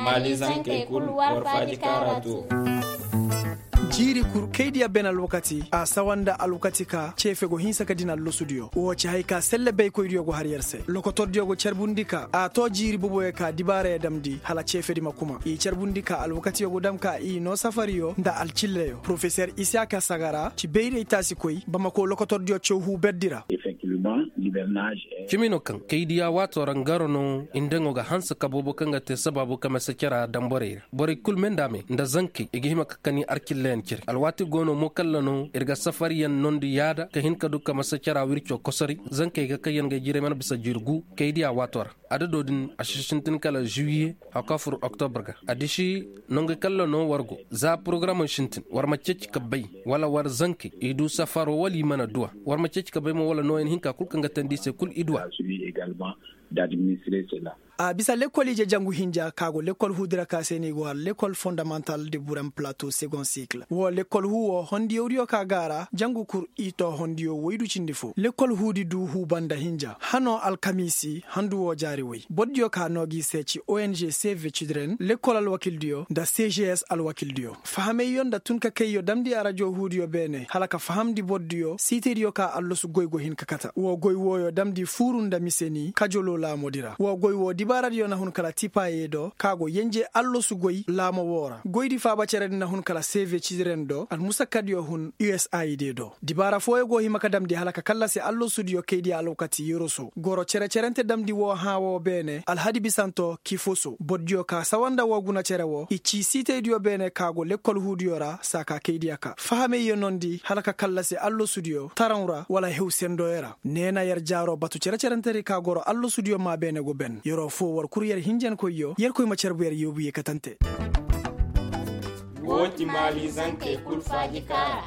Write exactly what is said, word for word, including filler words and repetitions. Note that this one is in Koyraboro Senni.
Maali zankey kul war faaji kaara too. Jiiri kul kaydiya ben alwakati a sawa nda alwakati ka ceefe go hinsa ka din allosudiyo woo ci haya ka selle baykoydiyo go har yer se lokotordiyo go carbundi ka a too jiiri boboyo ka dibaarayo damndi hala ceefedi ma kuma i carbundi ka alwakatiyo go dam ka i noo safariyo nda alcilleyo porofeser isaka sagara ci bayray taasikoy bamako lokotordiyo caw huu berdi ra. Cimi no kaŋ kaydiya waatoo ra ngaro no i nda ngo ga hanse ka boobo kaŋ ga te sabaabu ka masa cara daŋ borey ra borey kul me nda a me nda zankey i ga hima ka kani arcilleyaŋ cire alwaati go no mo kalla no ir ga safariyaŋ nondi yaada ka hin ka du ka masa cara wirco kosori zankey ga kaŋ yaŋ ga ay jiray mana bisa jiiri gu kaydiya waatoo ra adado din a si sintin kala zuwiye hawka fur oktobar ga a disi nongu kalla no war go za porogaramoy sintin war ma ceeci ka bay wala war zankey i du safaro wala i mana duw'a war ma ceeci ka bay mo wala nooyan hinka kul kaŋ ga teendi i se kul i duw'a. A bisa lekkol ije jangu hinja ka go lekkol huudi ra ka se no i go har lekkol fondamantal de burem plato segond sikil woo lekkol huu woo hondiyawdiyo ka go a ra jangu kul i too hondiyo woydu cindi foo lekkol huudi du huu banda hinja hanoo alkamiisi handu woo jaari woy bordiyo ka noo gi se ci ong cv cidren lekkol alwakildiyo nda cgs alwakildiyo fahamayyo nda tun ka kayyo damndi arajo huudiyo beene hala ka fahamndi bordiyo siitaydiyo ka allasu goy go hin ka kata woo goy wooyo damndi fuuru nda mise ni kajoloo laamodi ra woo goy woo dibaaradiyo na hun kala tipaayey do ka go yenje allasu goy laamo woo ra goydi faaba ceredi na hun kala cv cidiren do almusakkadiyo hun usaid do dibaara fooyo go hima ka damndi hala ka kallasi allasudiyo kaydiya alwakati yoroso goro cere-cerente damndi woo hãa woo beene alhadibisanto kifoso bordiyo ka sawa nda woo guna cere woo i cii siitaydiyo beene ka go lekkol huudiyo ra saa ka kaydiya ka fahamey ye nondi hala ka kallasi allasudiyo taraŋ ra wala hew sendoyo ra nee na yer jaaroo batu cere-cerentedi ka goro allasudiyo maa beene go ben yeroo foo war kul yer hinjankoyyo yerkoy ma carbu yer yoobu ye katante. Woo ti maali zankey kul faaji kaara.